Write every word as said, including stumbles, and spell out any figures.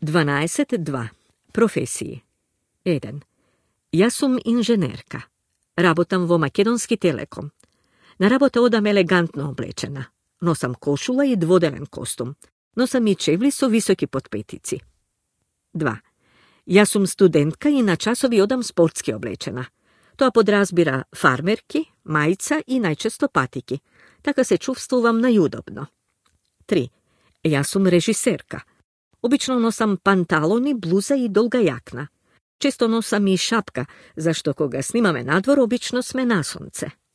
дванаесет два. Професии. еден. Јас сум инженерка. Работам во Македонски телеком. На работа одам елегантно облечена. Носам кошула и дводелен костум. Носам и чевли со високи подпетици. два. Јас сум студентка и на часови одам спортски облечена. Тоа подразбира фармерки, мајца и најчесто патики. Така се чувствувам најудобно. три. Јас сум режисерка. Обично носам панталони, блуза и долга јакна. Често носам и шапка, зашто кога снимаме надвор, обично сме на сонце.